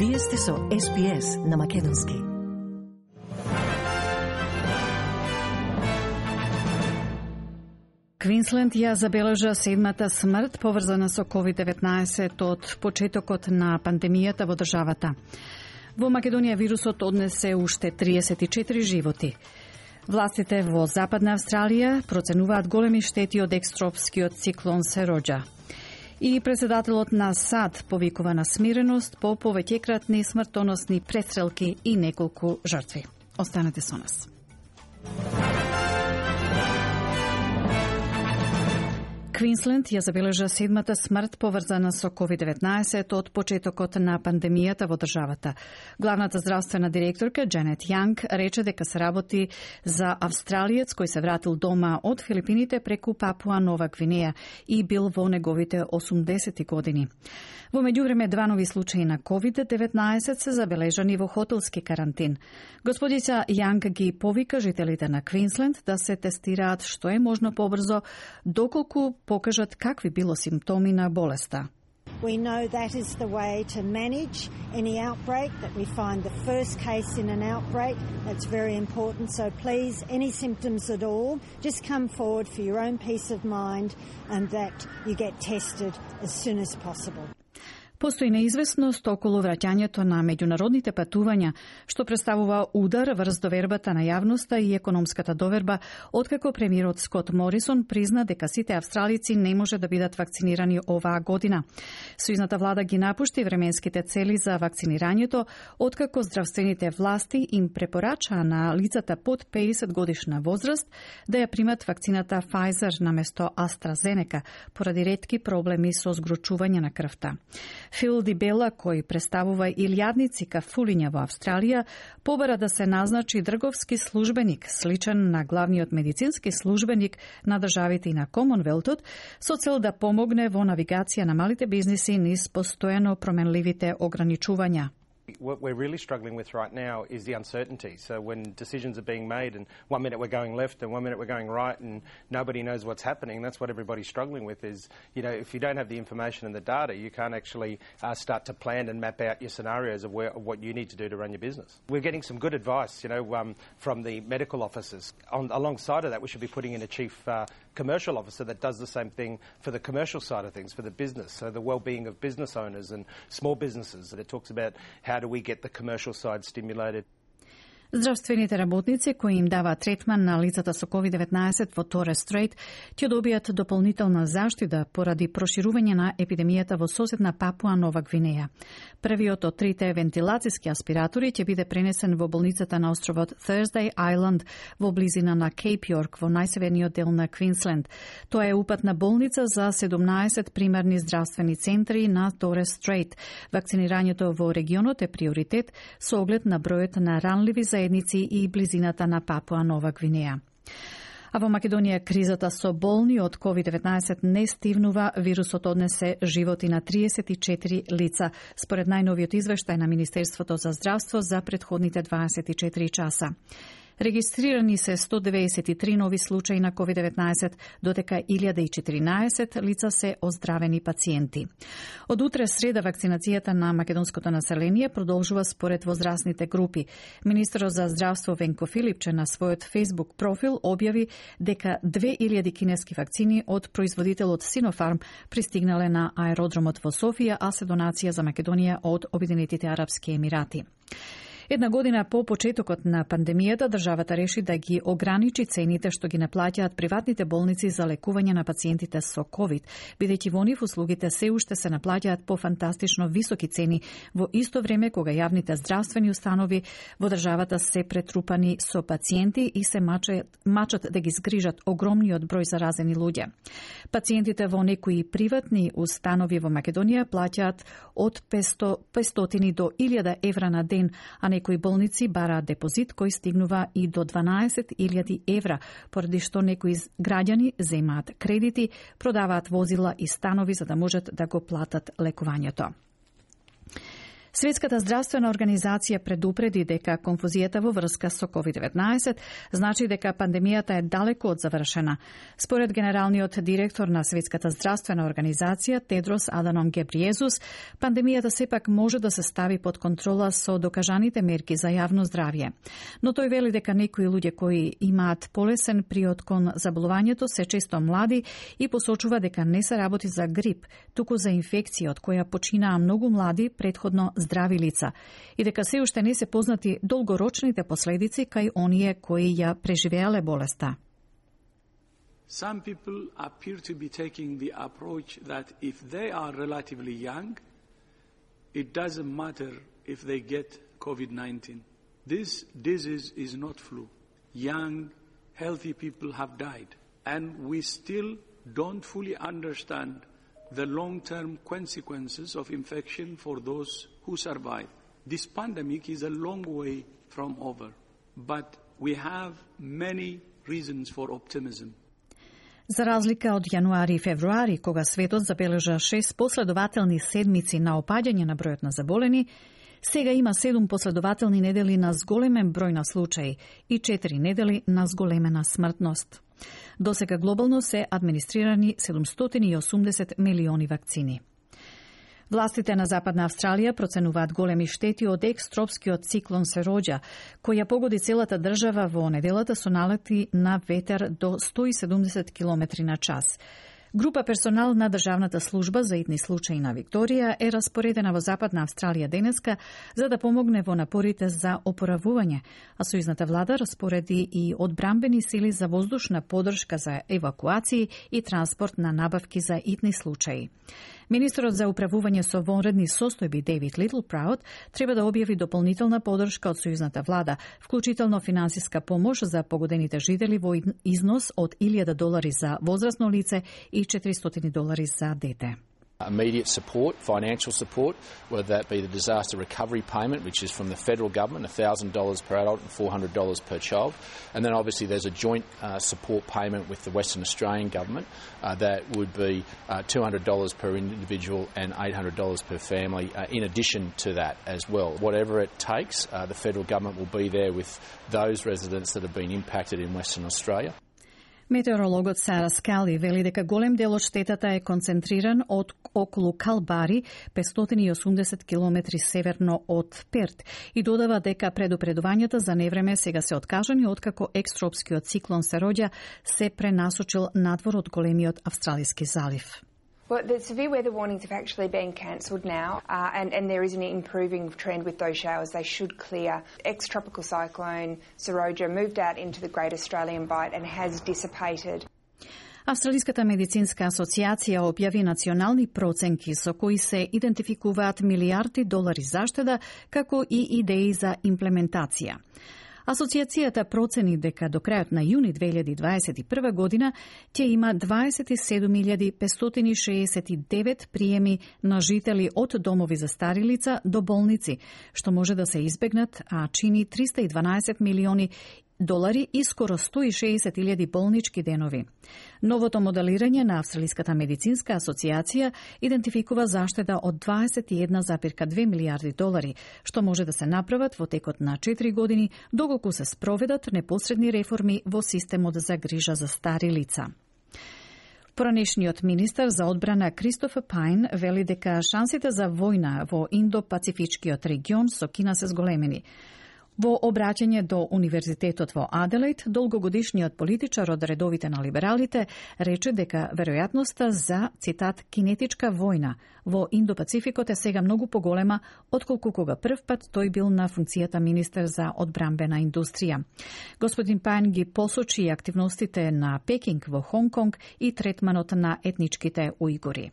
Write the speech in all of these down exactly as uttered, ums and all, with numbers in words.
Вие сте со Ес Би Ес на македонски. Квинсленд ја забележа седмата смрт поврзана со ковид деветнаесет од почетокот на пандемијата во државата. Во Македонија вирусот однесе уште триесет и четири животи. Властите во Западна Австралија проценуваат големи штети од екстропскиот циклон Сероџа. И председателот на САД повикува на смиреност по повеќекратни смртоносни престрелки и неколку жртви. Останете со нас. Квинсленд ја забележа седмата смрт поврзана со ковид деветнаесет од почетокот на пандемијата во државата. Главната здравствена директорка Джанет Јанг рече дека се работи за австралиец кој се вратил дома од Филипините преку Папуа Нова Гвинеја и бил во неговите осумдесети години. Во меѓувреме два нови случаи на ковид деветнаесет се забележани во хотелски карантин. Господица Јанг ги повика жителите на Квинсленд да се тестираат што е можно побрзо, доколку покажат какви било симптоми на болеста. We know that is the way to manage any outbreak, that we find the first case in an outbreak. That's very important. So please, any symptoms at all, just come forward for your own peace of mind and that you get tested as soon as possible. Постои неизвестност околу враќањето на меѓународните патувања, што представува удар врз довербата на јавноста и економската доверба, откако премиерот Скот Морисон призна дека сите австралици не може да бидат вакцинирани оваа година. Сојузната влада ги напушти временските цели за вакцинирањето, откако здравствените власти им препорачаа на лицата под педесет годишна возраст да ја примат вакцината Pfizer наместо AstraZeneca, поради ретки проблеми со згручување на крвта. Фил Ди Бела, кој представува илјадници кафулиња во Австралија, побара да се назначи дрговски службеник, сличен на главниот медицински службеник на државите и на Комонвелтот, со цел да помогне во навигација на малите бизниси низ постојано променливите ограничувања. What we're really struggling with right now is the uncertainty. So when decisions are being made and one minute we're going left and one minute we're going right and nobody knows what's happening, that's what everybody's struggling with is, you know, if you don't have the information and the data, you can't actually uh, start to plan and map out your scenarios of, where, of what you need to do to run your business. We're getting some good advice, you know, um, from the medical officers. On, alongside of that, we should be putting in a chief uh, commercial officer that does the same thing for the commercial side of things, for the business, so the well-being of business owners and small businesses. That it talks about how do we get the commercial side stimulated. Здравствените работници кои им даваат третман на лицата со ковид деветнаесет во Торес Стрейт ќе добијат дополнителна заштита поради проширување на епидемијата во соседна Папуа Нова Гвинеја. Првиот од трите вентилацијски аспиратори ќе биде пренесен во болницата на островот Thursday Island во близина на Кейп Јорк во најсеверниот дел на Квинсленд. Тоа е упатна болница за седумнаесет примарни здравствени центри на Торес Стрейт. Вакцинирањето во регионот е приоритет со оглед на бројот на ранливи заедници и близината на Папуа Нова Гвинеја. А во Македонија кризата со болни од ковид деветнаесет не стивнува, вирусот однесе животи на триесет и четири лица, според најновиот извештај на Министерството за здравство за претходните дваесет и четири часа. Регистрирани се сто деведесет и три нови случаи на ковид деветнаесет, додека илјада и четиринаесет лица се оздравени пациенти. Од утре среда вакцинацијата на македонското население продолжува според возрастните групи. Министерот за здравство Венко Филипче на својот Facebook профил објави дека две илјади кинески вакцини од производителот Синофарм пристигнале на аеродромот во Софија, а се донација за Македонија од Обединетите Арапски Емирати. Една година по почетокот на пандемијата, државата реши да ги ограничи цените што ги наплаќаат приватните болници за лекување на пациентите со ковид, бидејќи во нив услугите се уште се наплаќаат по фантастично високи цени, во исто време кога јавните здравствени установи во државата се претрупани со пациенти и се мачат, мачат да ги згрижат огромниот број заразени луѓе. Пациентите во некои приватни установи во Македонија плаќаат од петстотини до илјада евра на ден, а некои болници бараат депозит кој стигнува и до дванаесет илјади евра, поради што некои граѓани земаат кредити, продаваат возила и станови за да можат да го платат лекувањето. Светската здравствена организација предупреди дека конфузијата во врска со ковид деветнаесет значи дека пандемијата е далеку од завршена. Според генералниот директор на Светската здравствена организација Тедрос Аданом Гебриезус, пандемијата сепак може да се стави под контрола со докажаните мерки за јавно здравје. Но тој вели дека некои луѓе кои имаат полесен приод кон заболувањето се често млади и посочува дека не се работи за грип, туку за инфекција од која починаа многу млади претходно здрави лица и дека се уште не се познати долгорочните последици кај оние кои ја преживеале болеста. Some people appear to be taking the approach that if they are relatively young, it doesn't matter if they get COVID nineteen. This disease is not flu. Young, healthy people have died, and we still don't fully understand the long-term consequences of infection for those who survive. This pandemic is a long way from over, but we have many reasons for optimism. За разлика од јануари и февруари, кога светот забележа шест последователни седмици на опаѓање на бројот на заболени, сега има седум последователни недели на зголемен број на случаи и четири недели на зголемена смртност. Досега глобално се администрирани седумстотини и осумдесет милиони вакцини. Властите на Западна Австралија проценуваат големи штети од екстропскиот циклон Сероџа, која погоди целата држава во неделата со налети на ветер до сто и седумдесет километри на час. Група персонал на Државната служба за итни случаи на Викторија е распоредена во Западна Австралија денеска за да помогне во напорите за опоравување, а сојузната влада распореди и одбрамбени сили за воздушна поддршка за евакуации и транспорт на набавки за итни случаи. Министерот за управување со вонредни состојби Дейвид Литлпраут треба да објави дополнителна поддршка од сојузната влада, вклучително финансиска помош за погодените жители во износ од илјада долари за возрасно лице и четиристотини долари за дете. Immediate support, financial support, whether that be the disaster recovery payment, which is from the federal government, one thousand dollars per adult and four hundred dollars per child. And then obviously there's a joint uh, support payment with the Western Australian government uh, that would be uh, two hundred dollars per individual and eight hundred dollars per family uh, in addition to that as well. Whatever it takes, uh, the federal government will be there with those residents that have been impacted in Western Australia. Метеорологот Сара Скали вели дека голем дел од штетата е концентриран од околу Калбари, петстотини и осумдесет километри северно од Перт, и додава дека предупредувањата за невреме сега се откажани откако екстропскиот циклон Сероџа се пренасочил надвор од големиот Австралиски залив. Well, the severe weather warnings have actually been cancelled now, uh, and, and there is an improving trend with those showers. They should clear. Ex-tropical cyclone Seroja moved out into the Great Australian Bight and has dissipated. Австралиската медицинска асоциација објави национални проценки со кои се идентификуваат милиарди долари заштеда, како и идеи за имплементација. Асоциацијата процени дека до крајот на јуни две илјади дваесет и прва година ќе има дваесет и седум илјади петстотини шеесет и девет приеми на жители од домови за стари лица до болници, што може да се избегнат, а чини триста и дванаесет милиони долари и скоро сто и шеесет илјади болнички денови. Новото моделирање на Австралиската медицинска асоциација идентификува заштеда од дваесет и една зарез две милијарди долари, што може да се направат во текот на четири години, доколку се спроведат непосредни реформи во системот за грижа за стари лица. Поранешниот министар за одбрана Кристофер Пајн вели дека шансите за војна во Индо-Пацифичкиот регион со Кина се зголемени. Во обраќање до Универзитетот во Аделаид, долгогодишниот политичар од редовите на либералите рече дека веројатноста за, цитат, кинетичка војна во Индо-Пацификот е сега многу поголема отколку кога прв пат тој бил на функцијата министер за одбрамбена индустрија. Господин Пајн ги посочи активностите на Пекинг во Хонг-Конг и третманот на етничките ујгури.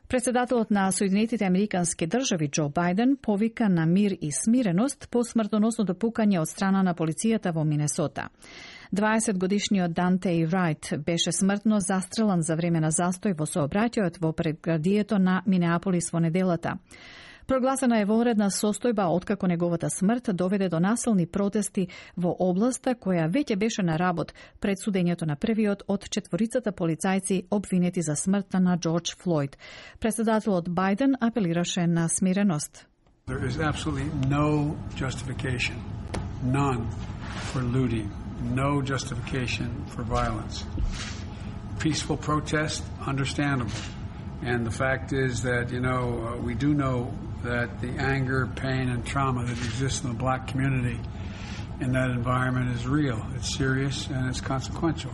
Председателот на Соединетите Американски држави Џо Бајден повика на мир и смиреност по смртоносното пукање од страна на полицијата во Минесота. дваесетгодишниот Дантеј Рајт беше смртно застрелан за време на застој во сообраќајот во предградието на Минеаполис во неделата. Прогласена е вонредна состојба откако неговата смрт доведе до насилни протести во областа која веќе беше на работ пред судењето на првиот од четворицата полицајци обвинети за смртта на Џорџ Флојд. Председателот Бајден апелираше на смиреност. There is absolutely no justification, none, for looting, no justification for violence. Peaceful protest, understandable. And the fact is that, you know, uh, we do know that the anger, pain, and trauma that exists in the black community in that environment is real. It's serious and it's consequential.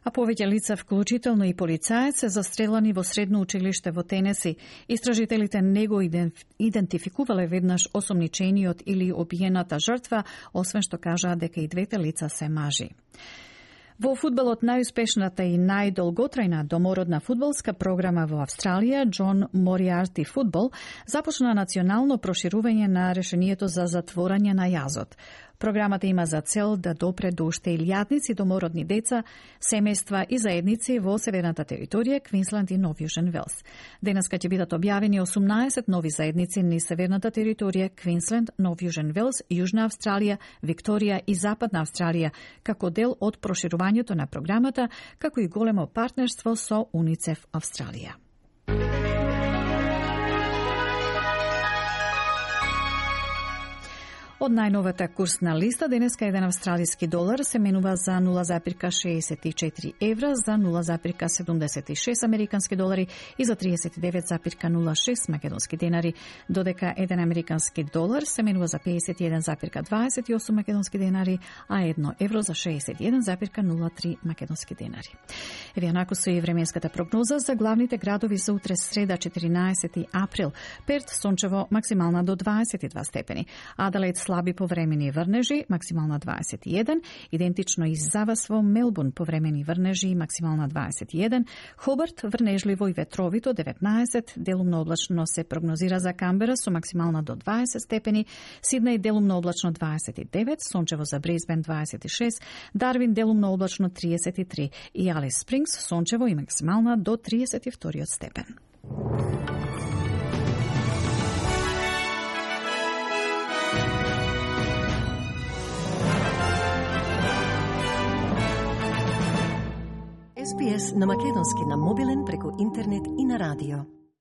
А повеќе лица, вклучително и полицаец, се застрелани во средно училиште во Тенеси. Истражителите не го идентификувале веднаш осомничениот или обиената жртва, освен што кажаа дека и двете лица се мажи. Во фудбалот, најуспешната и најдолготрајна домородна фудбалска програма во Австралија, Джон Мориарти фудбал, започна национално проширување на решението за затворање на јазот. Програмата има за цел да допре до уште илјадници домородни деца, семејства и заедници во северната територија, Квинсленд и Нов Јужен Велс. Денеска ќе бидат објавени осумнаесет нови заедници низ северната територија, Квинсленд, Нов Јужен Велс, Јужна Австралија, Викторија и Западна Австралија, како дел од проширувањето на програмата, како и големо партнерство со Уницеф Австралија. Од најновата курсна листа, денеска еден австралиски долар се менува за нула запирка шеесет и четири евра, за нула запирка седумдесет и шест американски долари и за триесет и девет запирка нула шест македонски денари, додека еден американски долар се менува за пеесет и еден запирка дваесет и осум македонски денари, а едно евро за шеесет и еден запирка нула три македонски денари. Еве онако со и временската прогноза за главните градови за утре среда четиринаесети април. Перт сончево, максимална до дваесет и два степени. Аделаид слаби повремени врнежи, максимална дваесет и еден, идентично и за вас во Мелбурн повремени врнежи, максимална дваесет и еден, Хобарт врнежливо и ветровито деветнаесет, делумно облачно се прогнозира за Камбера со максимална до дваесет степени, Сиднеј делумно облачно дваесет и девет, сончево за Брисбен дваесет и шест, Дарвин делумно облачно триесет и три и Алис Спрингс сончево и максимална до триесет и втори степен. Ес Би Ес на македонски на мобилен преку интернет и на радио.